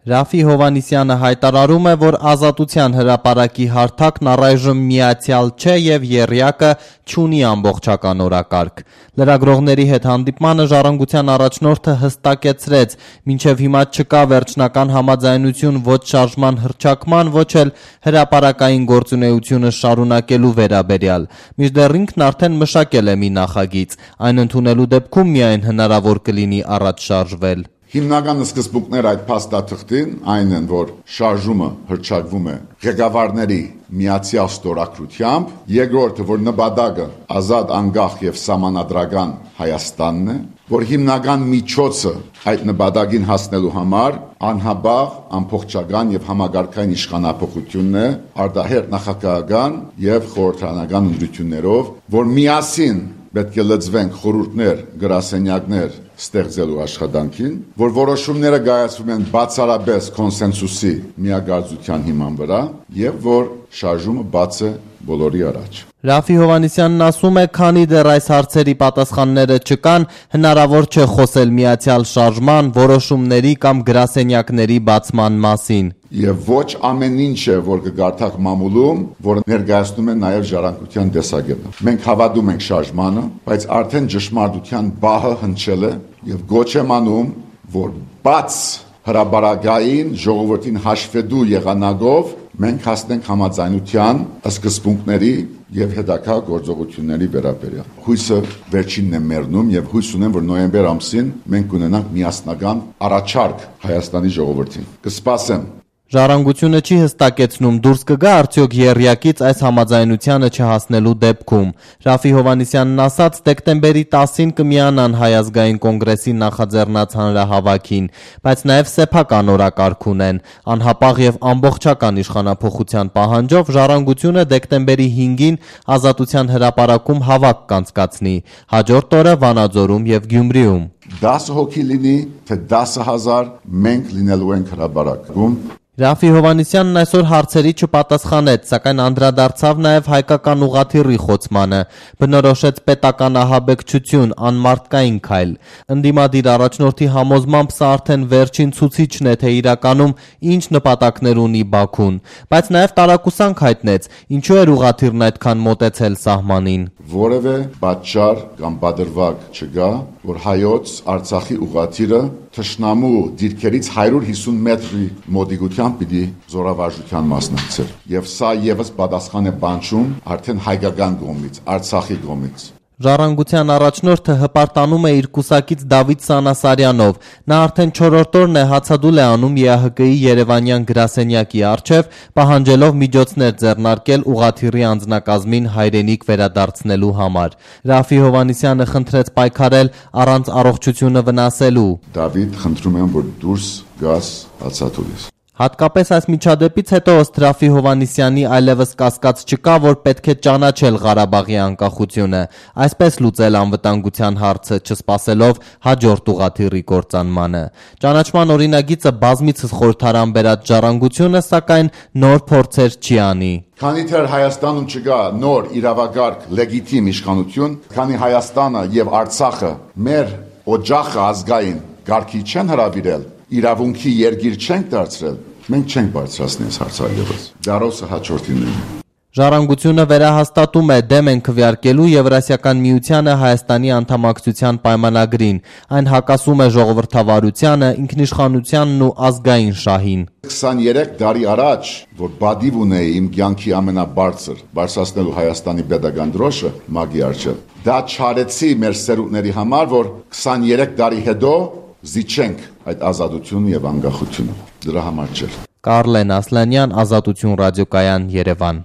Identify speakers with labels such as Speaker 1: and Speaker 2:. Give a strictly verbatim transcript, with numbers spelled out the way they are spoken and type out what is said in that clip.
Speaker 1: Ռաֆի Հովհաննիսյանը հայտարարում է, որ Ազատության հրապարակի հարթակն առայժմ միացյալ չէ և եռյակը չունի ամբողջական օրակարգ։ Լրագրողների հետ հանդիպմանը Ժառանգության առաջնորդը հստակեցրեց, մինչև հիմա չկա վերջնական համաձայնություն ոչ շարժման հռչակման, ոչ էլ հրապարակային գործունեությունը շարունակելու վերաբերյալ։ Մինչդեռ ինքն արդեն մշակել է մի նախագիծ, այն ընդունելու դեպքում միայն հնարավոր կլինի առաջ շարժվել։
Speaker 2: Հիմնական սկզբունքները այդ փաստաթղթին այն են, որ շարժումը հռչակվում է ղեկավարների միացյալ ստորագրությամբ, երկրորդը, որ նպատակը ազատ, անկախ եւ սահմանադրական Հայաստանն է, որ հիմնական միջոցը այդ նպատակին հասնելու համար անհաբաղ, ամբողջական եւ համագարկային իշխանապողությունն է, արտահերթ նախագահական եւ խորհրդարանական ընտրություններով, որ միասին պետք է լծվենք խորհուրդներ, գրասենյակներ ստեղծելու աշխատանքին, որ որոշումները կայացվում են բացառապես կոնսենսուսի միագործության հիման վրա եւ որ շարժումը բաց է բոլորի առաջ։
Speaker 1: Ռաֆի Հովհաննիսյանն ասում է, քանի դեռ այս հարցերի պատասխանները չկան, հնարավոր չէ խոսել միացյալ շարժման, որոշումների կամ գրասենյակների բացման մասին։
Speaker 2: Եվ ոչ ամեն ինչը, որ կգարթակ մամուլում, որ ներկայացնում է նաև ժառանգության տեսակետը։ Մենք հավատում ենք շարժմանը, բայց արդեն ճշմարտության բահը հնչել է եւ գոչ եմ անում, որ բաց հրապարակային ժողովրդին հաշվետու եղանակով մենք հասնենք համաձայնության սկզբունքների եւ հետագա գործողությունների վերաբերյալ։ Հույսը վերջինն է մեռնում եւ հույս ունեմ, որ նոյեմբեր ամսին մենք կունենանք միասնական առաջարկ Հայաստանի ժողովրդին։ Կսպասեմ։
Speaker 1: Ժառանգությունը չի հստակեցնում, դուրս կգա արդյոք եռյակից այս համաձայնությանը չհասնելու դեպքում։ Ռաֆի Հովհաննիսյանն ասաց, դեկտեմբերի տասին կմիանան Հայ ազգային կոնգրեսի նախաձեռնած հանրահավաքին, բայց նաև սեփական օրակարգ ունեն։ Անհապաղ եւ ամբողջական իշխանափոխության պահանջով Ժառանգությունը դեկտեմբերի հինգին Ազատության հրապարակում հավաք կանցկացնի, հաջորդ օրը Վանաձորում եւ Գյումրիում։
Speaker 2: դասը հոգի լինի, թե դասը հազար, մենք լինելու ենք հրապարակում։
Speaker 1: Ռաֆի Հովհաննիսյանն այսօր հարցերի չպատասխանեց, սակայն անդրադարձավ նաև հայկական ուղղաթիռի խոցմանը, բնորոշեց պետական ահաբեկչություն, անմարդկային քայլ։ Ընդդիմադիր առաջնորդի համոզմամբ սա արդեն վերջին ցուցիչն է, թե իրականում ինչ նպատակներ ունի Բաքուն, բայց նաև տարակուսանք հայտնեց, ինչու էր ուղղաթիռն այդքան մոտեցել սահմանին։
Speaker 2: Որևէ պատճառ կամ բادرվակ չկա, որ հայոց Արցախի ուղղաթիռը թշնամու դիրքերից հարյուր հիսուն մետրի մոտիկությամբ պիտի զորավարժության մասնակցեր։ Եվ սա եւս պատասխան է բանջում արդեն հայկական կողմից, Արցախի կողմից։
Speaker 1: Ժառանգության առաջնորդը հպարտանում է իր կուսակից Դավիթ Սանասարյանով։ Նա արդեն չորրորդ օրն է հացադուլ է անում Է Ահ Կ-ի Երևանյան գրասենյակի առջև, պահանջելով միջոցներ ձեռնարկել ուղղաթիռի անձնակազմին հայրենիք վերադարձնելու համար։ Ռաֆի Հովհաննիսյանը խնդրեց պայքարել առանց առողջությունը վնասելու։
Speaker 2: Դավիթ, խնդրում եմ, որ դուրս գաս հացադուլից։
Speaker 1: Հատկապես այս միջադեպից հետո ըստ Ռաֆի Հովհաննիսյանի այլևս կասկած չկա, որ պետք է ճանաչել Ղարաբաղի անկախությունը, այսպես լուծել անվտանգության հարցը, չսպասելով հաջորդ ուղղաթիռի կործանմանը։ Ճանաչման օրինագիծը բազմիցս խորհրդարան բերած Ժառանգությունը, սակայն նոր փորձեր չի անի։
Speaker 2: Քանի դեռ Հայաստանում չկա նոր իրավագարկ լեգիտիմ իշխանություն, քանի Հայաստանը եւ Արցախը մեր օջախը ազգային գարկի չեն հրավիրել, իրավունքի երկիր չենք դարձրել, մենք չենք բարձրացնի այս հարցը, դարոսը հաջորդին է։
Speaker 1: Ժառանգությունը վերահաստատում է դեմ են քվեարկելու Եվրասիական միությանը Հայաստանի անդամակցության պայմանագրին, այն հակասում է ժողովրդավարությանը, ինքնիշխանությանն ու ազգային շահին։
Speaker 2: քսաներեք տարի առաջ, որ բադիվ ունեի իմ կյանքի ամենաբարձր բարձրացնելու Հայաստանի պետական դրոշը մագի առջև, դա չարեցի մեր սերունդների համար, որ քսաներեք տարի հետո զիջենք այդ ազատությունը եւ անկախությունը։ Դրա համար չէ։
Speaker 1: Կարլեն Ասլանյան, Ազատություն ռադիոկայան, Երևան։